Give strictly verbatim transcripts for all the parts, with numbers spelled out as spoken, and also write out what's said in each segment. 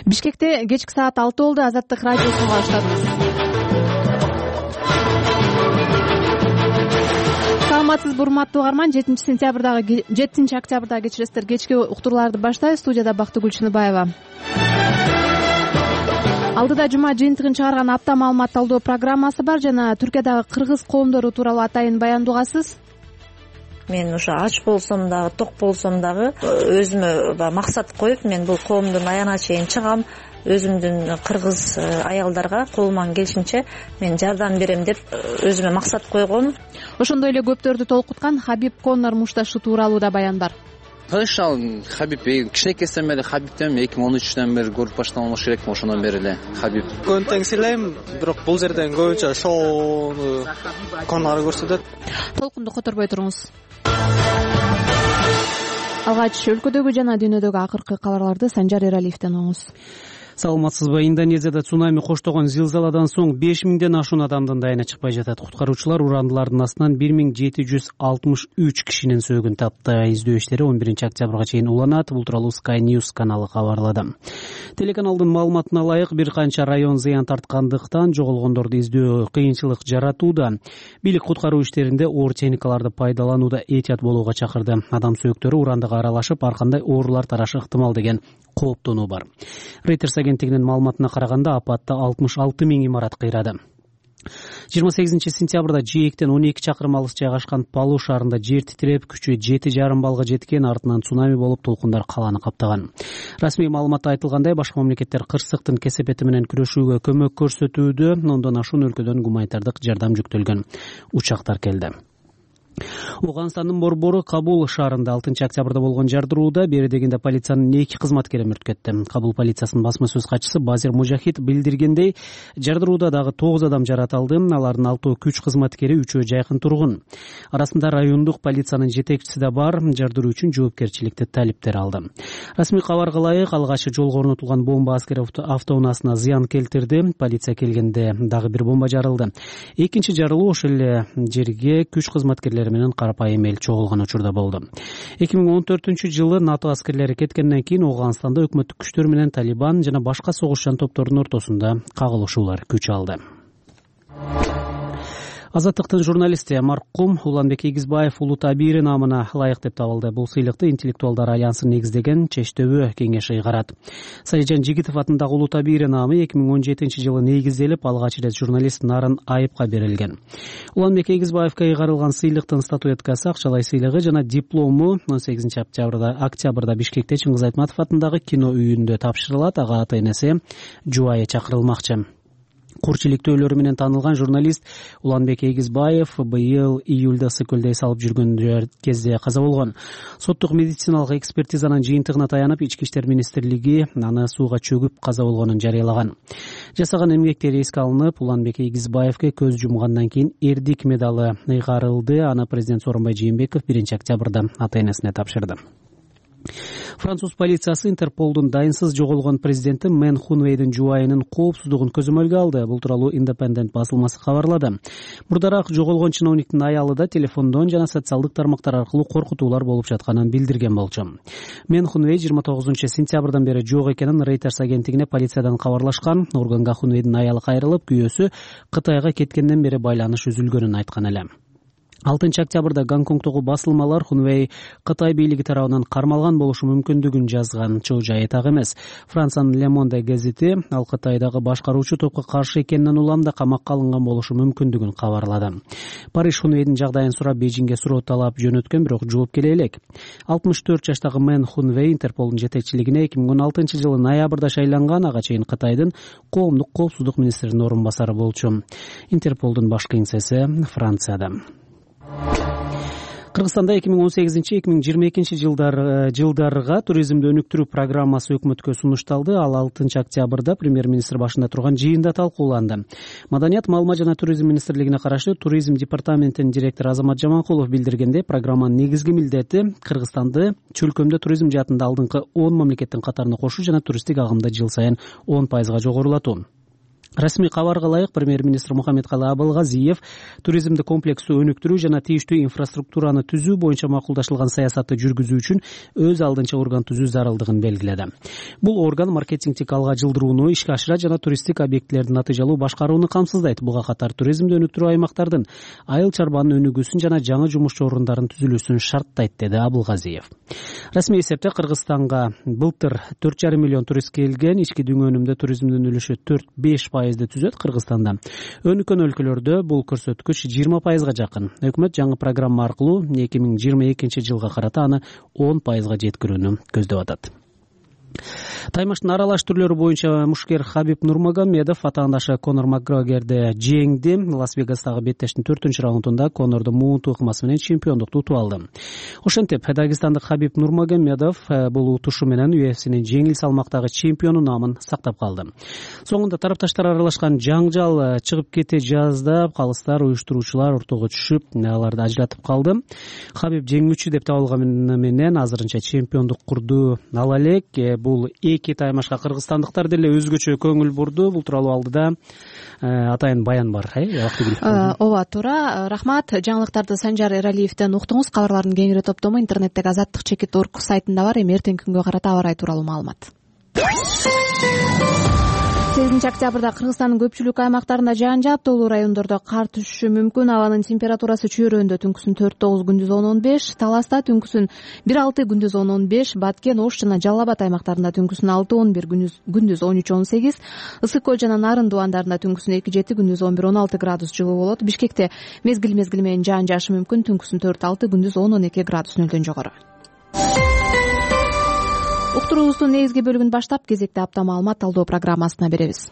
Бишкекте кечки саат алты болду. Азаттык радиосун баштадыңыз. Саламатсызбы, урматтуу угарман. жетинчи сентябрдагы жетинчи октябрдагы кечиресиздер, кечки уктурууларды баштайбыз. Студияда Бактыгүл Чыныбаева. Алдыда жума жыйынтыгын чыгарган апта маалымат талдоо программасы бар жана Түркиядагы кыргыз коомдору тууралуу атайын баяндугасыз. Мен ушу ач болсом дагы, ток болсом дагы өзүмө баягы максат коюп, мен бул коомдун аягына чейин чыгам. Өзүмдүн кыргыз аялдарга колуман келишинче мен жардам берем деп өзүмө максат койгом. Ошондой эле көптөрдү толкуткан Хабиб Конор мушташы тууралуу да баяндар. Ошол Хабиб кичинекейсинден бери Хабибтен эки миң он үчтөн бери көрүп баштаган болуш керек. Ошондон бери эле Хабиб. Көбүн тең сыйлайм, бирок бул жерден көбүнчө шоуну Конор көрсөтөт. Толкунду которбой туруңуз. Алгач өлкөдөгү жана дүйнөдөгү акыркы кабарларды Санжар Эралиевден угуңуз. Саламатсызбы. Индонезияда цунами коштогон зилзаладан соң беш миңден ашуун адамдын дайына чыкпай жатат. Куткаруучулар урандылардын астынан бир миң жети жүз алтымыш үч кишинин сөөгүн тапты. Издөө иштери он биринчи октябрга чейин уланат. Бул тууралуу Sky News каналы кабарлады. Телеканалдын маалыматына ылайык бир канча район зыян тарткандыктан жоголгондорду издөө кыйынчылык жаратууда. Бийлик куткаруу иштеринде оор техникаларды пайдаланууда этият болууга чакырды. Адам сөөгүттөрү урандыга аралашып, ар кандай оорулар тарашы ыктымал деген кооптонуу бар. Reuters агенттигинин маалыматына караганда апатта алтымыш алты миң имарат кыйрады. жыйырма сегизинчи сентябрда жээктен он эки чакырым алыс жайгашкан Палу шаарында жер титиреп, күчү жети жарым балга жеткен, артынан цунами болуп толкундар калааны каптаган. Расмий маалыматта айтылгандай, башка мамлекеттер кырсыктын кесепети менен күрөшүүгө көмөк көрсөтүүдө. Ондон ашуун өлкөдөн гуманитардык жардам жүктөлгөн учактар келди. Афганстандын борбору Кабул шаарында алтынчы октябрда болгон жардырууда бери дегенде полициянын эки кызматкери мүрт кетти. Кабул полициясынын басма сөз катчысы Базир Мужахид билдиргендей, жардырууда дагы тогуз адам жаратылды. Алардын алтоо күч кызматкери, үчөө жайкын тургун. Арасында райондук полициянын жетекчиси да бар. Жардыруу үчүн жоопкерчиликти талиптер алды. Расмий кабарга ылайык, алгач жолго орнотулган бомба аскер автоунаасына зыян келтирди. Полиция келгенде дагы бир бомба жарылды. Экинчи жарылуу ошол эле жерге күч кызматкерлери менен карапайым эл чогулган учурда болду. эки миң он төртүнчү жылы НАТО аскерлери кеткенден кийин Афганстанда өкмөттүк күчтөр менен Талибан жана башка согушчан топтордун ортосунда кагылышуулар күч алды. Азаттыктын журналисти маркум Уланбек Эгизбаев улуу табири наамына ылайык деп табылды. Бул сыйлыкты Интеллектуалдар альянсын негиздеген Чечтөбө кеңеши ыйгарат. Салижан Жигитов атындагы улуу табири наамы эки миң он жетинчи жылы негизделип, алгач ирет журналист Нарын Айыпка берилген. Уланбек Эгизбаевка ыйгарылган сыйлыктын статуэткасы, акчалай сыйлыгы жана диплому он сегизинчи октябрда октябрда Бишкекте Чыңгыз Айтматов атындагы кино үйүндө тапшырылат. Ага ата-энеси жубайы чакырылмакчы. Курчиликтөөлөрү менен таанылган журналист Уланбек Эгизбаев быйыл июлда сыкөлдөй салып жүргөн кезде каза болгон. Соттук медициналык экспертизанын жыйынтыгына таянып, Ички иштер министрлиги аны сууга чөгүп каза болгонун жарыялаган. Жасаган эмгектери эске алынып, Уланбек Эгизбаевке көз жумгандан кийин эрдик медалы ыйгарылды. Аны президент Сооронбай Жээнбеков биринчи октябрда ата-энесине тапшырды. Француз полициясы Интерполдун дайынсыз жоголгон президенти Мен Хунвейдин жубайынын коопсуздугун көзөмөлгө алды. Бул тууралуу Independent басылмасы кабарлады. Мурдараак жоголгон чиновниктин аялы да телефондон жана социалдык тармактар аркылуу коркутуулар болуп жатканын билдирген болчу. Мен Хунвей жыйырма тогузунчу сентябрдан бери жок экенин Reuters агенттигине полициядан кабарлашкан. Органга Хунвейдин аялы кайрылып, күйөөсү Кытайга кеткенден бери байланыш үзүлгөнүн айткан эле. алтынчы октябрда Гонконгдогу басылмалар Хунвей Кытай бийлиги тарабынан кармалган болушу мүмкүндүгүн жазган. Чоо жайы так эмес. Франциянын Le Monde газети ал Кытайдагы башкаруучу топко каршы экенинен уламда камакка алынган болушу мүмкүндүгүн кабарлады. Париж Хунвейдин жагдайын сурап Бейжиңге суроо талап жөнөткөн, бирок жооп келе элек. алтымыш төрт жаштагы Мен Хунвей Интерполдун жетекчилигине эки миң он алтынчы жылы ноябрда шайланган. Ага чейин Кытайдын коомдук коопсуздук министринин орун басары болчу. Интерполдун баш кеңсеси Францияда. Кыргызстанда эки миң он сегизинчи эки миң жыйырма экинчи жылдар жылдарга туризмди өнүктүрүү программасы өкмөткө сунушталды. Ал алтынчы октябрда премьер-министр башында турган жыйында талкууланды. Маданият, маалымат жана туризм министрлигине караштуу туризм департаментинин директору Азамат Жаманкулов билдиргенде, программанын негизги милдети Кыргызстанды чөлкөмдө туризм жаатында алдыңкы он мамлекеттин катарына кошуу жана туристтик агымды жыл сайын он пайызга жогорулатуу. Расмий кабарга ылайык премьер-министр Мухаммедкалый Абылгазиев туризмди комплекстүү өнүктүрүү жана тийиштүү инфраструктураны түзүү боюнча макулдашылган саясатты жүргүзүү үчүн өз алдынча орган түзүү зарылдыгын белгиледи. Бул орган маркетингдик алга жылдырууну ишке ашыра жана туристтик объектилердин натыйжалуу башкарууну камсыздайт. Буга катар туризмди өнүктүрүү аймактардын айыл чарбанын өнүгүүсүн жана жаңы жумушчу орундарынын түзүлүүсүн шарттайт, деди Абылгазиев. Расмий эсепте Кыргызстанга былтыр төрт жарым миллион турист келген, ички дүң өнүмдө туризмдин үлүшү төрт беш пайызды түзөт. Кыргызстанда өнүккөн өлкөлөрдө бул көрсөткүч жыйырма пайызга жакын. Өкмөт жаңы программа аркылуу эки миң жыйырма экинчи жылга карата аны он пайызга жеткирүүнү көздөп атат. Таймаштын аралаш түрлөрү боюнча мушкер Хабиб Нурмагомедов атаандашы Конор Макгрегорду жеңди. Лас-Вегастагы беттештин төртүнчү раундунда Конорду муунтуу ыкмасы менен чемпиондукту утуп алды. Ошентип дагестандык Хабиб Нурмагомедов бул утушу менен ю эф синин жеңил салмактагы чемпиону наамын сактап калды. Соңунда тарапташтар аралашкан жаңжал чыгып кете жаздап, калыстар уюштуруучулар ортого түшүп, аларды ажыратып калды. Хабиб жеңүүчү деп табылганы менен азырынча чемпиондук курду ала элек. Бул эки таймашка кыргызстандыктар деле өзгөчө көңүл бурду. Бул тууралуу алдыда атайын баян бар. Ооба, туура. Рахмат. Жаңылыктарды Санжар Эралиевден уктуңуз. Кабарлардын кеңири топтому интернеттеги азаттык чекит точка орг сайтында бар. Эми эртеңки күнгө карата аба ырайы тууралуу маалымат. сегизинчи октябрда Кыргызстандын көпчүлүк аймактарында жаан жаап, тоолуу райондордо кар түшүшү мүмкүн. Абанын температурасы чөйрөндө түнкүсүн төрт тогуз, күндүз он он беш, Таласта түнкүсүн бир алты, күндүз он он беш, Баткен, Ош жана Жалал Абад аймактарында түнкүсүн алты он бир, күндүз он үч он сегиз, Ысык Көл жана Нарын дубандарында түнкүсүн эки жети, күндүз он бир он алты градус жылуу болот. Бишкекте мезгил мезгили менен жаан жаашы мүмкүн. Түнкүсүн төрт алты, күндүз он он эки градус нөлдөн жогору. Уктуруубуздун негизги бөлүгүн баштап, кезекте апта маалымат талдоо программасына беребиз.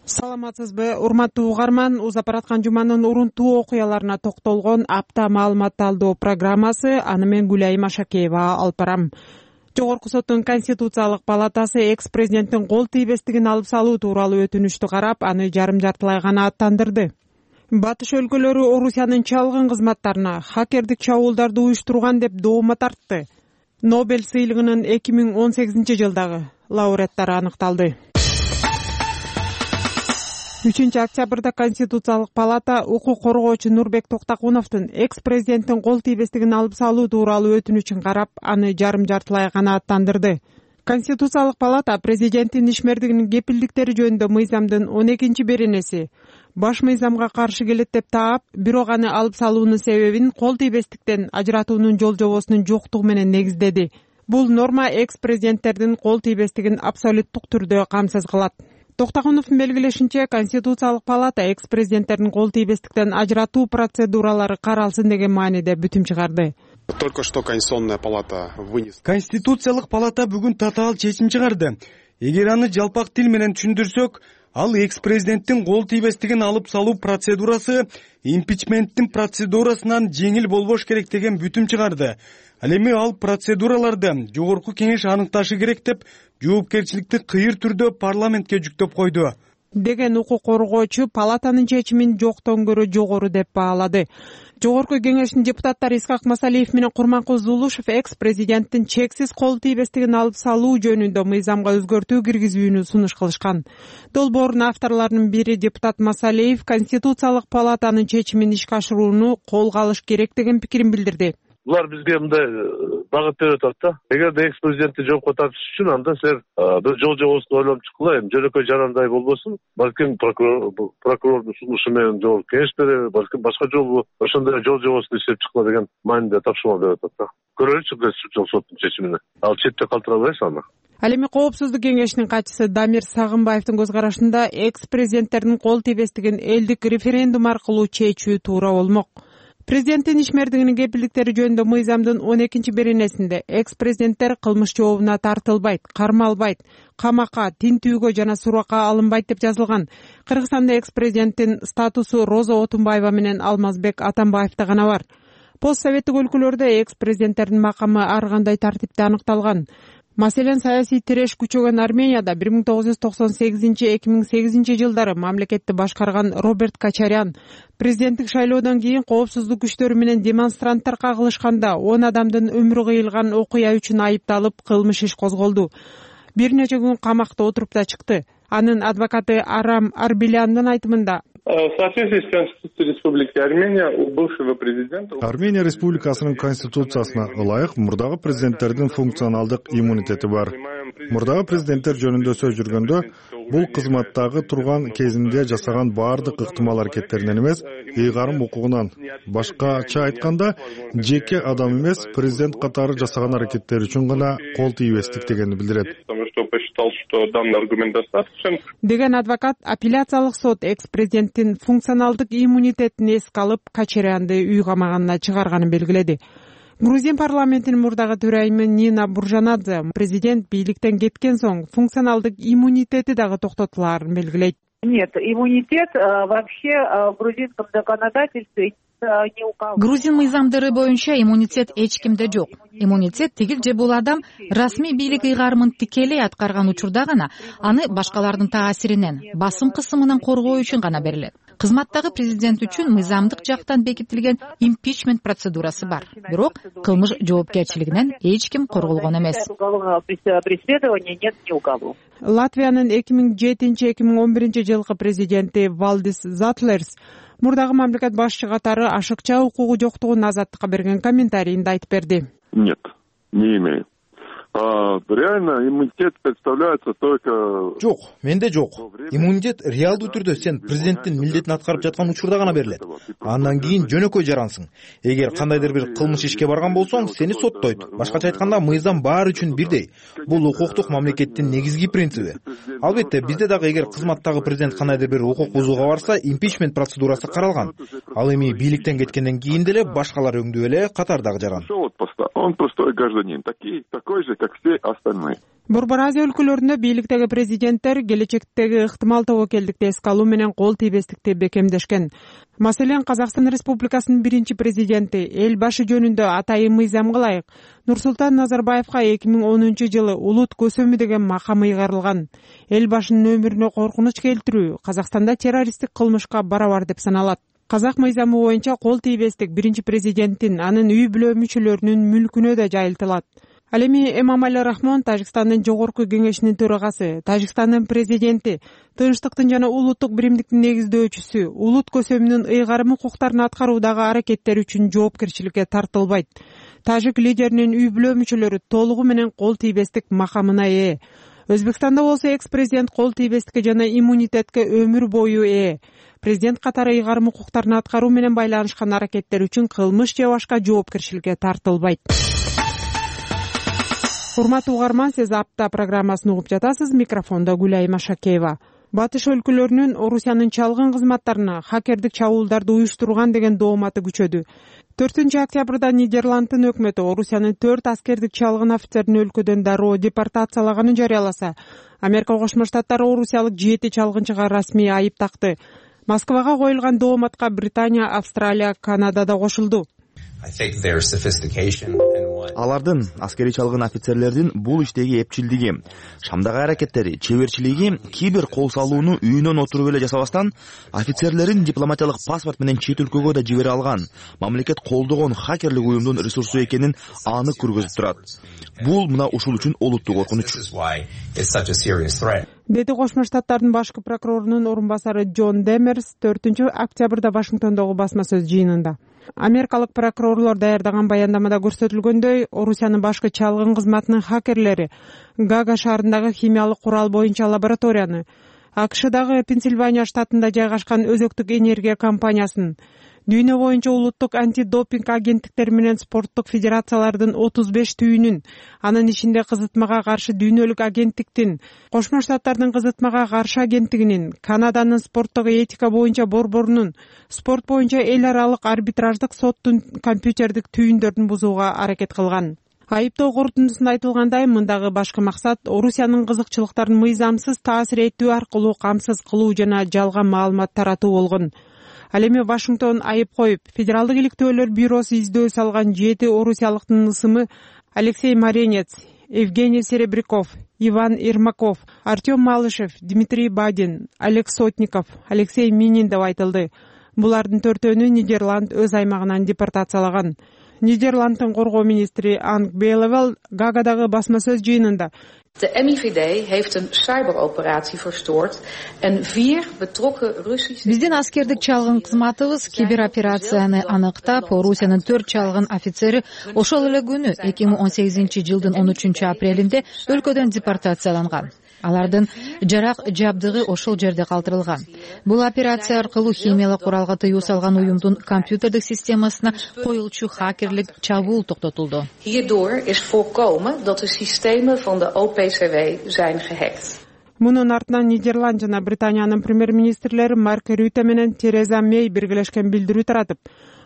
Саламатсызбы, урматтуу угарман? Узап бараткан жуманын урунтуу окуяларына токтолгон апта маалымат талдоо программасы. Аны мен Гүлайым Ашакеева алып барам. Жогорку соттун Конституциялык палатасы экс-президенттин кол тийбестигин алып салуу тууралуу өтүнүчтү карап, аны жарым жартылай гана аттандырды. Батыш өлкөлөрү Орусиянын чалгын кызматтарына хакердик чабуулдарды уюштурган деп доомо тартты. Нобель сыйлыгынын эки миң он сегизинчи жылдагы лауреаттары аныкталды. үчүнчү октябрда Конституциялык палата укук коргоочу Нурбек Токтакуновдун экс-президенттин кол тийбестигин алып салуу тууралуу өтүнүчүн карап, аны жарым жартылай гана аттандырды. Конституциялык палата президенттин ишмердигинин кепилдиктери жөнүндө мыйзамдын он экинчи беренеси баш мыйзамга каршы келет деп таап, бирок аны алып салуунун себебин кол тийбестиктен ажыратуунун жол жобосунун жоктугу менен негиздеди. Бул норма экс-президенттердин кол тийбестигин абсолюттук түрдө камсыз кылат. Токтакуновдун белгилешинче, Конституциялык палата экс-президенттердин кол тийбестиктен ажыратуу процедуралары каралсын деген мааниде бүтүм чыгарды. Только что Конституционная палата вынесла. Конституциялык палата бүгүн татаал чечим чыгарды. Эгер аны жалпак тил менен түшүндүрсөк, ал экс-президенттин кол тийбестигин алып салуу процедурасы импичменттин процедурасынан жеңил болбош керек деген бүтүм чыгарды. Ал эми ал процедураларды жогорку кеңеш аныкташы керек деп жоопкерчиликти кыйыр түрдө парламентке жүктөп койду деген укук коргоочу палатанын чечимин жоктон көрө жогору деп баалады. Жогорку кеңештин депутаттары Исхак Масалиев менен Курманкул Зулушев экс-президенттин чексиз кол тийбестигин алып салуу жөнүндө мыйзамга өзгөртүү киргизүүнү сунуш кылышкан. Долбоордун авторлорунун бири депутат Масалиев Конституциялык палатанын чечимин ишке ашырууну колго алыш керек деген пикирин билдирди. Булар бизге мындай багыт берип атат да. Эгерде экс-президентти жоопко тартыш үчүн анда силер бир жол жобосун ойлонуп чыккыла, эми жөнөкөй жарандай болбосун. Балким прокурордун сунушу менен жогорку кеңеш береби, балким башка жолу ошондой жол жобосун иштеп чыккыла деген мааниде тапшырма берип атат да. Көрөлүчү Конституциялык соттун чечимине. Ал четте калтыра албайбыз аны. Ал эми Коопсуздук кеңешинин катчысы Дамир Сагынбаевдин көз карашында экс-президенттердин кол тийбестигин элдик референдум аркылуу чечүү туура болмок. Президенттин ишмердигинин кепилдиктери жөнүндө мыйзамдын он экинчи беренесинде экс-президенттер кылмыш жообуна тартылбайт, кармалбайт, камакка, тинтүүгө жана суракка алынбайт деп жазылган. Кыргызстанда экс-президенттин статусу Роза Отунбаева менен Алмазбек Атамбаевда гана бар. Постсоветтик өлкөлөрдө экс-президенттердин макамы ар кандай тартипте аныкталган. Маселен, саясий тиреш күчөгөн Арменияда бир миң тогуз жүз токсон сегизинчи эки миң сегизинчи жылдары мамлекетти башкарган Роберт Качарян президенттик шайлоодон кийин коопсуздук күчтөрү менен демонстранттар кагылышканда он адамдын өмүрү кыйылган окуя үчүн айыпталып кылмыш иш козголду. Бир нече күн камакта отуруп да чыкты. Анын адвокаты Арам Арбеляндын айтымында В соответствии с Конституцией Республики Армения у бывшего президента Армения Республикасынын конституциясына ылайык мурдагы президенттердин функционалдык иммунитети бар. Мурдагы президенттер жөнүндө сөз жүргөндө бул кызматтагы турган кезинде жасаган баардык ыктымал аракеттеринен эмес, ыйгарым укугунан. Башкача айтканда, жеке адам эмес, президент катары жасаган аракеттери үчүн гана кол тийбестик дегенди билдирет. Деген адвокат апелляциялык сот экс-президенттин функционалдык иммунитетин эске алып, Качарянды үй камаганына чыгарганын белгиледи. Грузин парламентинин мурдагы төрайымы Нина Буржанадзе президент бийликтен кеткен соң функционалдык иммунитети дагы токтотулаарын белгилейт. Нет, иммунитет вообще в грузинском законодательстве не указан. Грузин мыйзамдары боюнча иммунитет эч кимде жок. Иммунитет тигил же бул адам расмий бийлик ыйгарымын тикелей аткарган учурда гана аны башкалардын таасиринен, басым кысымынан коргоо үчүн гана берилет. Кызматтагы президент үчүн мыйзамдык жактан бекитилген импичмент процедурасы бар. Бирок кылмыш жоопкерчилигинен эч ким корголгон эмес. Латвиянын эки миң жетинчи эки миң он биринчи жылкы президенти Валдис Затлерс мурдагы мамлекет башчы катары ашыкча укугу жоктугун Азаттыкка берген комментарийинде айтып берди. Нет, не имею. А, реально иммунитет представляется только... Жок, менде жок. Иммунитет реалдуу түрдө сен президенттин милдетин аткарып жаткан учурда гана берилет. Андан кийин жөнөкөй жарансың. Эгер кандайдыр бир кылмыш ишке барган болсоң, сени соттойт. Башкача айтканда, мыйзам баары үчүн бирдей. Бул укуктук мамлекеттин негизги принциби. Албетте, бизде дагы эгер кызматтагы президент кандайдыр бир укук бузууга барса, импичмент процедурасы каралган. Ал эми бийликтен кеткенден кийин деле башкалар өңдүү эле катардагы жаран. Он простой гражданин, такой, такой же, как все остальные. Борбор Азия өлкөлөрүндө бийликтеги президенттер келечектеги ыктымал тобокелдикти эске алуу менен кол тийбестикти бекемдешкен. Маселен, Казакстан Республикасынын биринчи президенти эл башы жөнүндө атайын мыйзамга ылайык Нурсултан Назарбаевка эки миң онунчу жылы улут көсөмү деген макам ыйгарылган. Эл башынын өмүрүнө коркунуч келтирүү Казакстанда террористтик кылмышка барабар деп саналат. Казак мыйзамы боюнча кол тийбестик биринчи президенттин, анын үй бүлө мүчөлөрүнүн мүлкүнө да жайылтылат. Ал эми Эмомали Рахмон, Тажикстандын жогорку кеңешинин төрагасы, Тажикстандын президенти, тынчтыктын жана улуттук биримдиктин негиздөөчүсү, улут көсөмүнүн ыйгарым укуктарын аткаруудагы аракеттери үчүн жоопкерчиликке тартылбайт. Тажик лидеринин үй бүлө мүчөлөрү толугу менен кол тийбестик макамына ээ. Өзбекстанда болсо экс-президент кол тийбестикке жана иммунитетке өмүр бою ээ. Президент катары ыйгарым укуктарын аткаруу менен байланышкан аракеттер үчүн кылмыш же башка жоопкерчиликке тартылбайт. Урматтуу угарман, сиз апта программасын угуп жатасыз. Микрофондо Гүлай Машакеева. Батыш өлкөлөрүнүн Орусиянын чалгын кызматтарына хакердик чабуулдарды уюштурган деген дооматы күчөдү. төртүнчү октябрда Нидерландтын өкмөтү Орусиянын төрт аскердик чалгын офицерин өлкөдөн дароо депортациялаганын жарыяласа, Америка Кошмо Штаттары орусиялык жети чалгынчыга расмий айып такты. Москвага коюлган дооматка Британия, Австралия, Канада да кошулду. Алардын, аскери чалгын офицерлердин бул иштеги эпчилдиги, шамдагы аракеттери, чеберчилиги кибер кол салууну үйүнөн отуруп эле жасабастан, офицерлерин дипломатиялык паспорт менен чет өлкөгө да жибере алган, мамлекет колдогон хакерлик уюмдун ресурсу экенин анык көргөзүп турат. Бул мына ушул үчүн олуттуу коркунуч. Деди Кошмо Штаттардын башкы прокурорунун орун басары Джон Демерс төртүнчү октябрда Вашингтондогу басма сөз жыйынында. Америкалык прокурорлор даярдаган баяндамада көрсөтүлгөндөй, Орусиянын башкы чалгын кызматынын хакерлери Гага шаарындагы химиялык курал боюнча лабораторияны, АКШдагы Пенсильвания штатында жайгашкан өзөктүк энергия компаниясын, дүйнө боюнча улуттук антидопинг агенттиктери менен спорттук федерациялардын отуз беш түйүнүн, анын ичинде кызытмага каршы дүйнөлүк агенттиктин, Кошмо Штаттардын кызытмага каршы агенттигинин, Канаданын спорттук этика боюнча борборунун, спорт боюнча эл аралык арбитраждык соттун компьютердик түйүндөрүн бузууга аракет кылган. Айыптоо корутундусунда айтылгандай, мындагы башкы максат Орусиянын кызыкчылыктарын мыйзамсыз таасир этүү аркылуу камсыз кылуу жана жалган маалымат таратуу болгон. Ал эми Вашингтон айып коюп, Федералдык иликтөөлөр бюросу издөө салган жети орусиялыктын ысымы Алексей Маренец, Евгений Серебряков, Иван Ермаков, Артем Малышев, Дмитрий Бадин, Олег Сотников, Алексей Минин деп айтылды. Булардын төртөөнү Нидерланд өз аймагынан депортациялаган. Нидерланддын коргоо министри Анг Белевел Гаагадагы басма сөз жыйынында De M I V D heeft een cyberoperatie verstoord en vier betrokken Russische... Биздин аскердик чалгын кызматыбыз кибероперацияны аныктап, Орусиянын төрт чалгын офицери ошол эле күнү эки миң он сегизинчи жылдын он үчүнчү апрелинде өлкөдөн депортацияланган. Алардын жарак жабдыгы ошол жерде калтырылган. Бул операция аркылуу химиялык куралга тыюу салган уюмдун компьютердик системасына коюлчу хакерлик чабуул токтотулду. Hierdoor is voorkomen dat de systemen van de O P C W zijn gehackt. Мунун артынан Нидерланд жана Британиянын премьер-министрлери Марк Рюте менен Тереза Мей биргелешкен билдирүү таратып,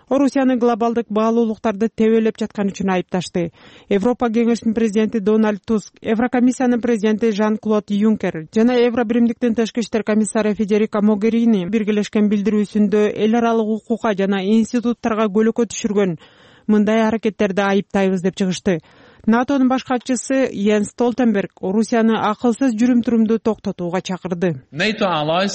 Орусияны глобалдык баалуулуктарды тебелеп жаткан үчүн айыпташты. Европа кеңешинин президенти Дональд Туск, Еврокомиссиянын президенти Жан-Клод Юнкер жана Евробиримдиктин тышкы иштер комиссары Федерика Могерини биргелешкен билдирүүсүндө эл аралык укукка жана институттарга көлөкө түшүргөн мындай аракеттерди айыптайбыз деп чыгышты. НАТОнун баш катчысы Йенс Столтенберг Орусияны акылсыз жүрүм-турумду токтотууга чакырды. НАТОго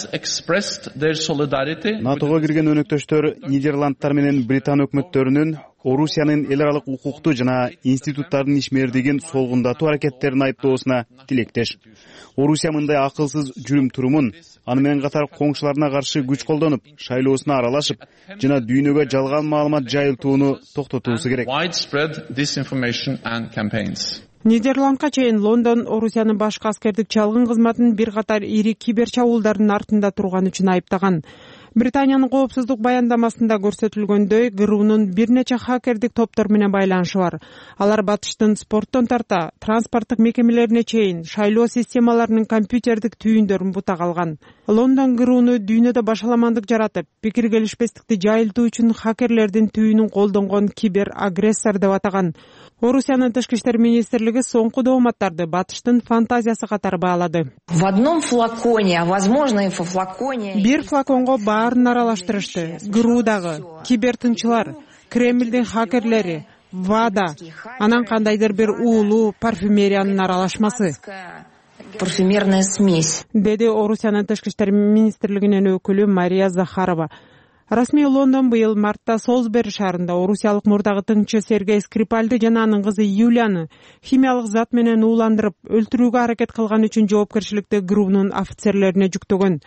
кирген өнөктөштөр Нидерландтар менен Британ өкмөттөрүнүн Орусиянын эл аралык укукту жана институттардын ишмердигин солгундатуу аракеттерин айыптоосуна тилектеш. Орусия мындай акылсыз жүрүм-турумун аны менен катар коңшуларына каршы күч колдонуп, шайлоосуна аралашып жана дүйнөгө жалган маалымат жайылтууну токтотуусу керек. Нидерландка чейин Лондон Орусиянын башкы аскердик чалгын кызматын бир катар ири кибер чабуулдардын артында турган үчүн айыптаган. Британиянын коопсуздук баяндамасында көрсөтүлгөндөй, ГРУнун бир нече хакердик топтор менен байланышы бар. Алар батыштын спорттон тарта, транспорттук мекемелерине чейин шайлоо системаларынын компьютердик түйүндөрүн бутак алган. Лондон ГРУну дүйнөдө башаламандык жаратып, пикир келишпестикти жайылтуу үчүн хакерлердин түйүнүн колдонгон кибер агрессор деп атаган. Орусиянын тышкы иштер министрлиги соңку дооматтарды батыштын фантазиясы катары баалады. В одном флаконе, а возможно и во флаконе... Бир флаконго баарын аралаштырышты. ГРУдагы, кибертынчылар, Кремлдин хакерлери, ВАДА, анан кандайдыр бир уулуу парфюмериянын аралашмасы. Парфюмерная смесь. Деди Орусиянын тышкы иштер министрлигинин өкүлү Мария Захарова. Расмий Лондон быйыл мартта Солсбери шаарында орусиялык мурдагы тыңчы Сергей Скрипальды жана анын кызы Юлияны химиялык зат менен ууландырып, өлтүрүүгө аракет кылган үчүн жоопкерчиликти ГРУнун офицерлерине жүктөгөн.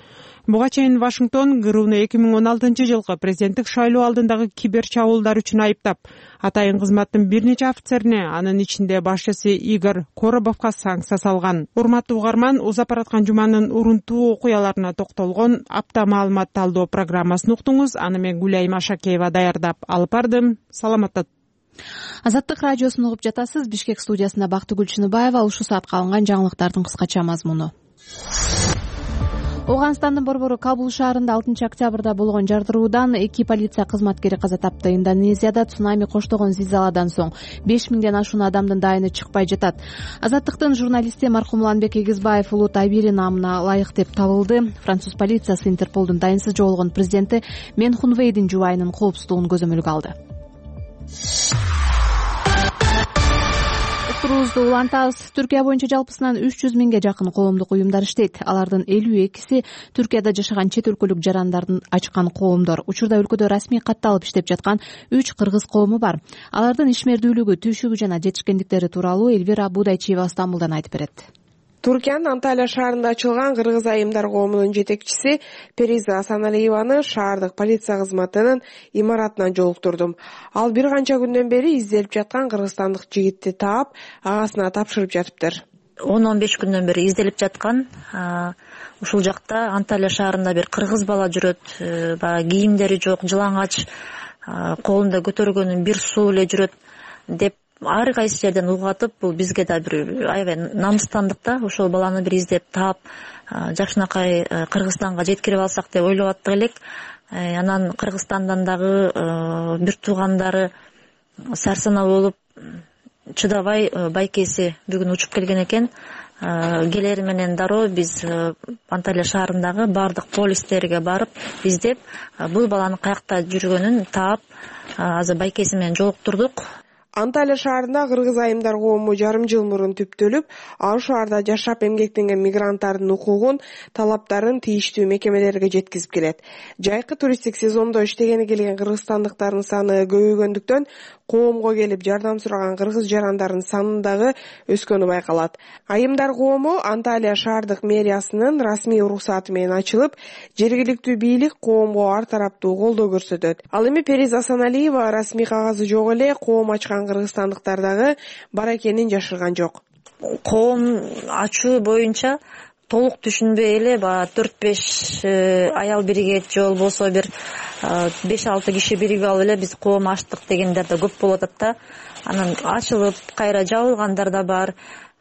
Буга чейин Вашингтон ГРУну эки миң он алтынчы жылкы президенттик шайлоо алдындагы кибер чабуулдар үчүн айыптап, атайын кызматтын бир нече офицерине, анын ичинде башчысы Игорь Коробовго санкция салган. Урматтуу угарман, узап бараткан жуманын урунтуу окуяларына токтолгон апта маалымат талдоо программасын уктуңуз. Аны мен Гүлайым Ашакеева даярдап алып бардым. Саламатта. Азаттык радиосун угуп жатасыз. Бишкек студиясында Бактыгүл Чыныбаева. Ушул саатка алынган жаңылыктардын кыскача мазмуну. Ооганстандын борбору Кабул шаарында алтынчы октябрда болгон жардыруудан эки полиция кызматкери каза тапты. Индонезияда цунами коштогон зилзаладан соң беш миңден ашуун адамдын дайыны чыкпай жатат. Азаттыктын журналисти маркум Уланбек Эгизбаев улуу Табири наамына ылайык деп табылды. Француз полициясы Интерполдун дайынсыз жоголгон президенти Мен Хунвейдин жубайынын коопсуздугун көзөмөлгө алды. Турузду улантабыз. Түркия боюнча жалпысынан үч жүз миңге жакын коомдук уюмдар иштейт. Алардын элүү экиси Түркияда жашаган чет өлкөлүк жарандардын ачкан коомдор. Учурда өлкөдө расмий катталып иштеп жаткан үч кыргыз коому бар. Алардын ишмердүүлүгү, түйшүгү жана жетишкендиктери тууралуу Элвира Будайчиева Стамбулдан айтып берет. Туркиянын Анталия шаарында ачылган кыргыз айымдар коомунун жетекчиси Периза Асаналиеваны шаардык полиция кызматынын имаратынан жолуктурдум. Ал бир канча күндөн бери изделип жаткан кыргызстандык жигитти таап, агасына тапшырып жатыптыр. он он беш күндөн бери изделип жаткан. Ушул жакта Анталия шаарында бир кыргыз бала жүрөт, баягы кийимдери жок, жылаңач, колунда көтөргөнү бир суу эле жүрөт деп ар кайсы жерден угатып, бул бизге да бир аябай намыстандык да. Ошол баланы бир издеп таап, жакшынакай Кыргызстанга жеткирип алсак деп ойлоп аттык элек. Анан Кыргызстандан дагы бир туугандары сарсана болуп, чыдабай байкеси бүгүн учуп келген экен. Келери менен дароо биз Анталия шаарындагы бардык полистерге барып издеп, бул баланын каякта жүргөнүн таап, азыр байкеси менен жолуктурдук. Анталия шаарында кыргыз айымдар коому жарым жыл мурун түптөлүп, ал шаарда жашап эмгектенген мигранттардын укугун, талаптарын тийиштүү мекемелерге жеткизип келет. Жайкы туристтик сезондо иштегени келген кыргызстандыктардын саны көбөйгөндүктөн коомго келип жардам сураган кыргыз жарандардын саны дагы өскөнү байкалат. Айымдар коому Анталия шаардык мэриясынын расмий уруксаты менен ачылып, жергиликтүү бийлик коомго ар тараптуу колдоо көрсөтөт. Ал эми Периза Асаналиева расмий кагазы жок эле коом ачкан кыргызстандыктар дагы бар экенин жашырган жок. Коом ачуу боюнча толук түшүнбөй эле баягы төрт беш аял биригет же болбосо бир беш алты киши биригип алып эле биз коом ачтык дегендер да көп болуп атат да. Анан ачылып кайра жабылгандар да бар.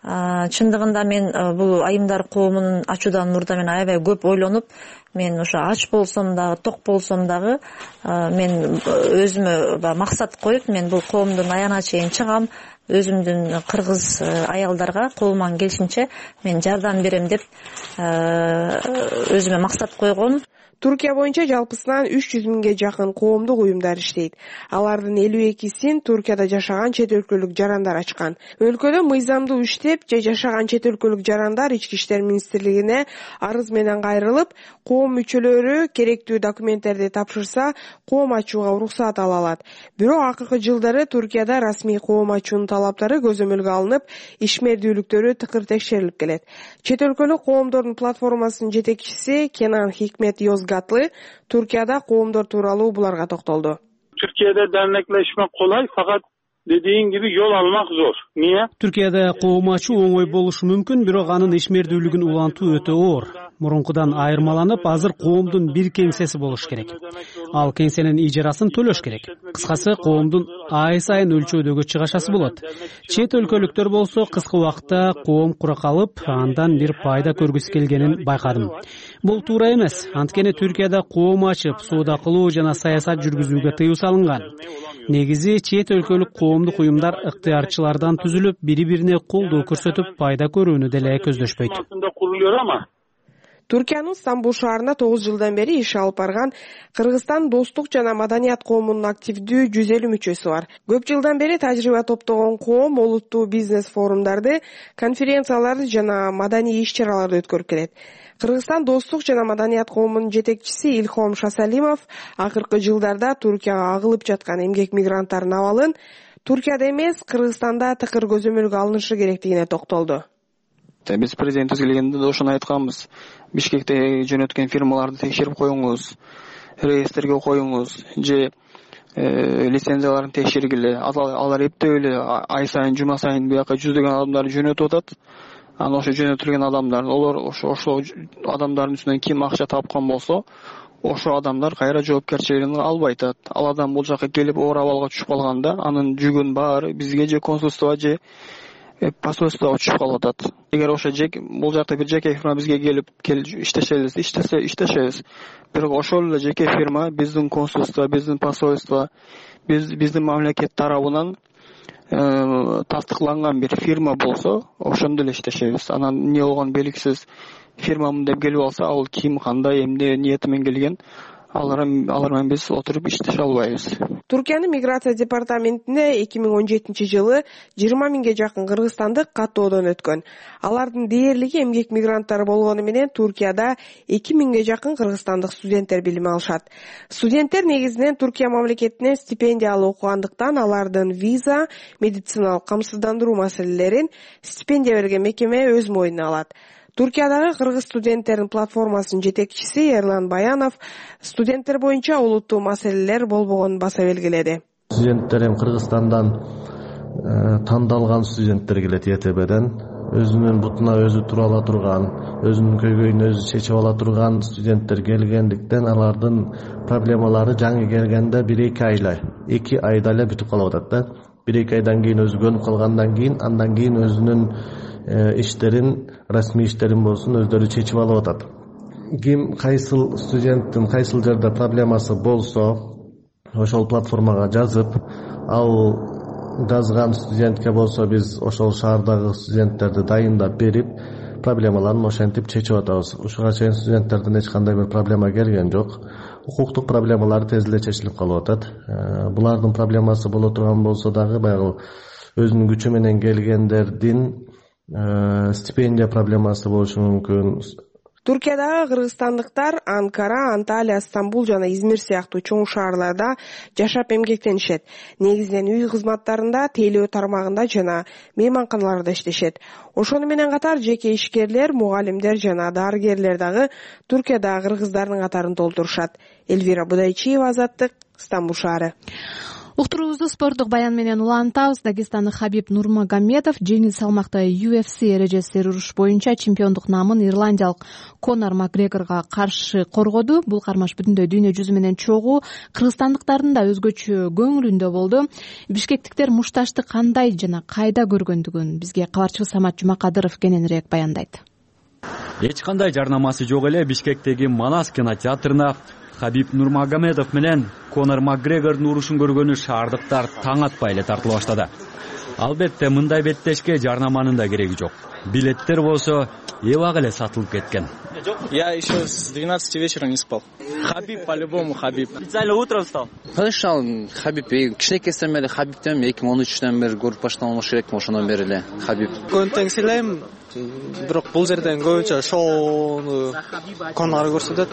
Чындыгында мен бул айымдар коомун ачуудан мурда мен аябай көп ойлонуп, мен ошо ач болсом дагы, ток болсом дагы мен өзүмө максат коюп, мен бул коомдун аягына чейин чыгам, өзүмдүн кыргыз аялдарга колуман келишинче мен жардам берем деп өзүмө максат койгом. Туркия боюнча жалпысынан үч жүз миңге жакын коомдук уюмдар иштейт. Алардын элүү экисин Туркияда жашаган чет өлкөлүк жарандар ачкан. Өлкөдө мыйзамдуу иштеп же жашаган чет өлкөлүк жарандар Ички иштер министрлигине арыз менен кайрылып, коом мүчөлөрү керектүү документтерди тапшырса, коом ачууга уруксат ала алат. Бирок акыркы жылдары Туркияда расмий коом ачуунун талаптары көзөмөлгө алынып, ишмердүүлүктөрү тыкыр текшерилип келет. Чет өлкөлүк коомдордун платформасынын жетекчиси Кенан Хикмет Йозгатлы Туркияда коомдор тууралуу буларга токтолду. Türkiye'de dernekleşmek kolay fakat dediğin gibi yol almak zor. Niye? Türkiye'de коом ачуу оңой болушу мүмкүн, бирок анын ишмердүүлүгүн улантуу өтө оор. Мурункудан айырмаланып, азыр коомдун бир кеңсеси болуш керек. Ал кеңсенин ижарасын төлөш керек. Кыскасы, коомдун ай сайын өлчөөдөгү чыгашасы болот. Чет өлкөлүктөр болсо кыска убакытта коом кура калып, андан бир пайда көргүсү келгенин байкадым. Бул туура эмес. Анткени Түркияда коом ачып, соода кылуу жана саясат жүргүзүүгө тыюу салынган. Негизи чет өлкөлүк коомдук уюмдар ыктыярчылардан түзүлүп, бири-бирине колдоо көрсөтүп, пайда көрүүнү деле көздөшпөйт. Түркиянын Стамбул шаарында тогуз жылдан бери иш алып барган Кыргызстан достук жана маданият коомунун активдүү жүз элүү мүчөсү бар. Көп жылдан бери тажрыйба топтогон коом олуттуу бизнес форумдарды, конференцияларды жана маданий иш-чараларды өткөрүп келет. Кыргызстан достук жана маданият коомунун жетекчиси Илхом Шасалимов акыркы жылдарда Туркияга агылып жаткан эмгек мигранттардын абалын Туркияда эмес, Кыргызстанда тыкыр көзөмөлгө алынышы керектигине токтолду. Биз президентибиз келгенде да ошону айтканбыз. Бишкекте жөнөткөн фирмаларды текшерип коюңуз, реестрге коюңуз, же лицензияларын текшергиле. Алар эптеп эле ай сайын, жума сайын бияка жүздөгөн адамдарды жөнөтүп атат. Анан ошо жөнөтүлгөн адамдар, олар ошо ошо адамдардын үстүнөн ким акча тапкан болсо, ошо адамдар кайра жоопкерчилигин албай атат. Ал адам бул жака келип оор абалга түшүп калганда, анын жүгүн баары бизге же консулство же посольствого түшүп калып атат. Эгер ошо жеке бул жакта бир жеке фирма бизге келип иштешебиз, иштесе иштешебиз. Бирок ошол эле жеке фирма биздин консулство, биздин посольство, биз биздин мамлекет тарабынан тастыкланган бир фирма болсо, ошондо эле иштешебиз. Анан эмне болгон белгисиз фирмамын деп келип алса, ал ким, кандай, эмне ниети менен келген, алар алар менен биз отуруп иштеше албайбыз. Туркиянын миграция департаментинде эки миң он жетинчи жылы жыйырма миңге жакын кыргызстандык каттоодон өткөн. Алардын дээрлиги эмгек мигранттары болгону менен Туркияда эки миңге жакын кыргызстандык студенттер билим алышат. Студенттер негизинен Туркия мамлекетинен стипендия алып окугандыктан алардын виза, медициналык камсыздандыруу маселелерин стипендия берген мекеме өз мойнуна алат. Туркиядагы кыргыз студенттердин платформасынын жетекчиси Эрлан Баянов студенттер боюнча олуттуу маселелер болбогонун баса белгиледи. Студенттер эми Кыргызстандан тандалган студенттер келет Е Т Б'ден. Өзүнүн бутуна өзү тура ала турган, өзүнүн көйгөйүн өзү чечип ала турган студенттер келгендиктен алардын проблемалары жаңы келгенде бир эки айла, эки айда эле бүтүп калып атат да. бир эки айдан кийин өзү көнүп калгандан кийин, андан кийин өзүнүн иштерин, расмий иштерин болсун өздөрү чечип алып атат. Ким кайсыл студенттин кайсыл жерде проблемасы болсо, ошол платформага жазып, ал жазган студентке болсо биз ошол шаардагы студенттерди дайындап берип, проблемаларын ошентип чечип атабыз. Ушуга чейин студенттерден эч кандай бир проблема келген жок. Укуктук проблемалар тез эле чечилип калып атат. Булардын проблемасы боло турган болсо дагы баягы өзүнүн күчү менен келгендердин стипендия проблемасы болушу мүмкүн. Туркиядагы кыргызстандыктар Анкара, Анталия, Стамбул жана Измир сыяктуу чоң шаарларда жашап эмгектенишет. Негизинен үй кызматтарында, тейлөө тармагында жана мейманканаларда иштешет. Ошону менен катар жеке ишкерлер, мугалимдер жана дарыгерлер дагы Туркиядагы кыргыздардын катарын толтурушат. Эльвира Будайчиева, Азаттык, Стамбул шаары. Уктуруубузду спорттук баян менен улантабыз. Дагестандык Хабиб Нурмагомедов жеңил салмакта ю эф си эрежесиндеги уруш боюнча чемпиондук намын ирландиялык Конор Макгрегорго каршы коргоду. Бул кармаш бүтүндөй дүйнө жүзү менен чогуу кыргызстандыктардын да өзгөчө көңүлүндө болду. Бишкектиктер мушташты кандай жана кайда көргөндүгүн бизге кабарчыбыз Самат Жумакадыров кененирээк баяндайт. Эч кандай жарнамасы жок эле Бишкектеги Манас кинотеатрына Хабиб Нурмагомедов менен Конор Макгрегордун урушун көргөнү шаардыктар таң атпай эле тартыла баштады. Албетте мындай беттешке жарнаманын да кереги жок. Билеттер болсо эбак эле сатылып кеткен. Я еще с двенадцати вечера не спал. Хабиб по-любому Хабиб. Специально утром встал? Конечно, Хабиб. Кичинекесинен бери Хабибтен эки миң он үчтөн бери көрүп баштаган болуш керек, ошондон бери эле Хабиб. Көңүл сыйлайм, бирок бул жерден көбүнчө шоуну Конор көрсөтөт.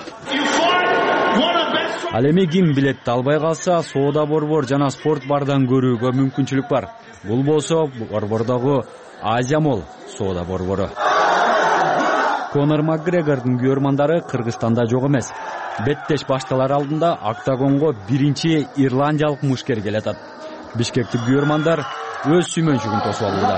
Ал эми ким билетти албай калса, соода борбор жана спорт бардан көрүүгө мүмкүнчүлүк бар. Бул болсо борбордогу Азия Молл соода борбору. Конор Макгрегордун күйөрмандары Кыргызстанда жок эмес. Беттеш башталар алдында октагонго биринчи ирландиялык мушкер келатат. Бишкектик күйөрмандар өз сүймөнчүгүн тосуп алууда.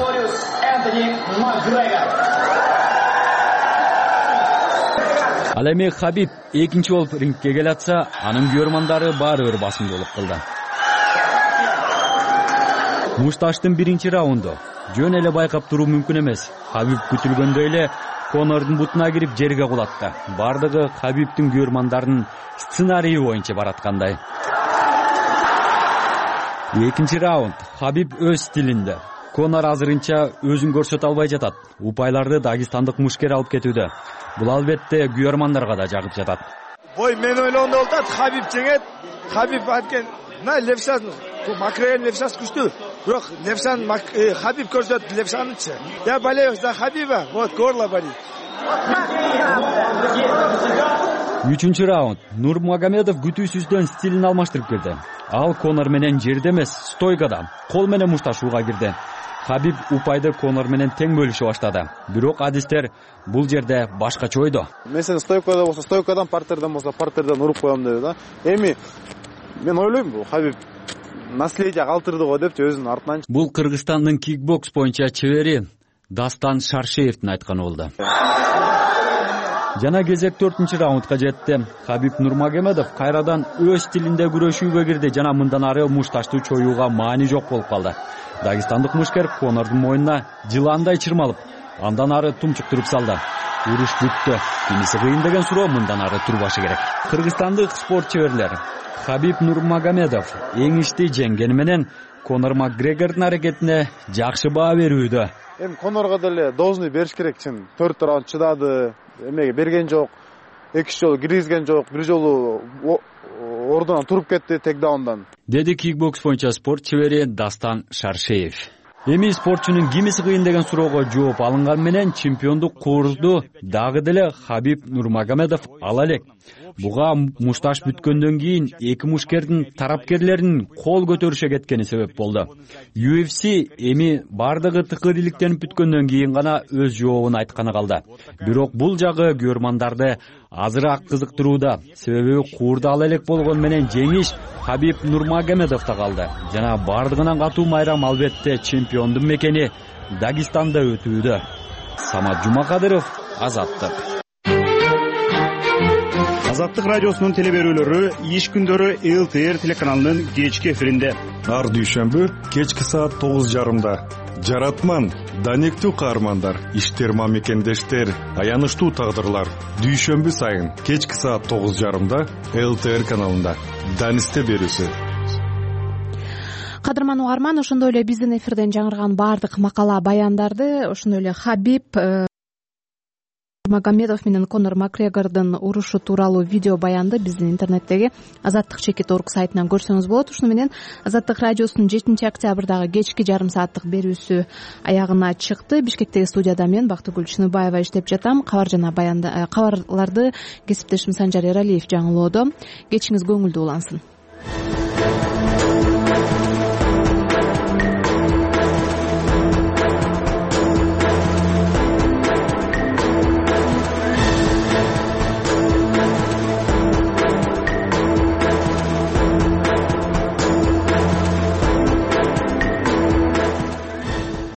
Ал эми Хабиб экинчи болуп рингке келатса, анын күйөрмандары баары бир басымдуулук кылды. Мушташтын биринчи раунду жөн эле байкап туруу мүмкүн эмес. Хабиб күтүлгөндөй эле Конордун бутуна кирип жерге кулатты. Бардыгы Хабибтин күйөрмандарынын сценарийи боюнча бараткандай. Экинчи раунд Хабиб өз стилинде. Конор азырынча өзүн көрсөтө албай жатат. Упайларды дагестандык мушкер алып кетүүдө. Бул албетте күйөрмандарга да жагып жатат. Бой мен ойлогондой болуп атат, Хабиб жеңет. Хабиб аткен, мына левшасын, Макгрегор левшасы күчтүү. Бирок левшаны Хабиб көрсөттү левшанычы. Я болею за Хабиба, вот горло болит. Үчүнчү раунд Нурмагомедов күтүүсүздөн стилин алмаштырып келди. Ал Конор менен жерде эмес, стойкада, кол менен мушташууга кирди. Хабиб упайды Конор менен тең бөлүшө баштады. Бирок адистер бул жерде башкача ойдо. Мен сени стойкада болсо стойкадан, партерден болсо партерден уруп коем деди да. Эми мен ойлойм, бул Хабиб наследие калтырды го депчи өзүнүн артынан. Бул Кыргызстандын кикбокс боюнча чебери Дастан Шаршеевдин айтканы болду. Жана кезек төртүнчү раундга жетти. Хабиб Нурмагомедов кайрадан өз стилинде күрөшүүгө кирди жана мындан ары мушташты чоюуга маани жок болуп калды. Дагестандык мушкер Конордун мойнуна жыландай чырмалып, андан ары тумчуктуруп салды. Уруш бүттү. Кимиси кыйын деген суроо мындан ары турбашы керек. Кыргызстандык спорт чеберлери Хабиб Нурмагомедов эңишти жеңгени менен Конор Макгрегордун аракетине жакшы баа берүүдө. Эми Конорго деле должный бериш керек чын. төрт раунд чыдады, эмеге берген жок. Эки жолу киргизген жок, бир жолу ордунан туруп кетти текдаундан. Деди кикбокс боюнча спорт чебери Дастан Шаршеев. Эми спортчунун кимиси кыйын деген суроого жооп алынган менен чемпиондук куурду дагы деле Хабиб Нурмагомедов ала элек. Буга мушташ бүткөндөн кийин эки мушкердин тарапкерлеринин кол көтөрүшө кеткени себеп болду. ю эф си эми бардыгы тыкырыйлыктенип бүткөндөн кийин гана өз жообун айтканы калды. Бирок бул жагы күйөрмандарды азыраак кызыктырууда. Себеби куурду ала элек болгон менен жеңиш Хабиб Нурмагомедовдо калды. Жана бардыгынан катуу майрам албетте чемпиондун мекени Дагестанда өтүүдө. Самат Жумакадыров, Азаттык. Азаттык радиосунун телеберүүлөрү иш күндөрү эл тэ эр телеканалынын кечки эфиринде. Ар дүйшөмбү кечки саат тогуз жарымда. Жаратман, данектүү каармандар, иштер мамекендештер, аянычтуу тагдырлар. Дүйшөмбү сайын кечки саат тогуз жарымда эл тэ эр каналында. Данисте берүүсү. Кадырман угарман, ошондой эле биздин эфирден жаңырган баардык макала баяндарды, ошондой эле Хабиб Магомедов менен Конор Макгрегордун урушу тууралуу видео баянды биздин интернеттеги азаттык чекит орг сайтынан көрсөңүз болот. Ушуну менен Азаттык радиосунун жетинчи октябрдагы кечки жарым сааттык берүүсү аягына чыкты. Бишкектеги студияда мен Бактыгүл Чыныбаева иштеп жатам. Кабар жана баянды кабарларды кесиптешим Санжар Эралиев жаңылоодо. Кечиңиз көңүлдүү улансын.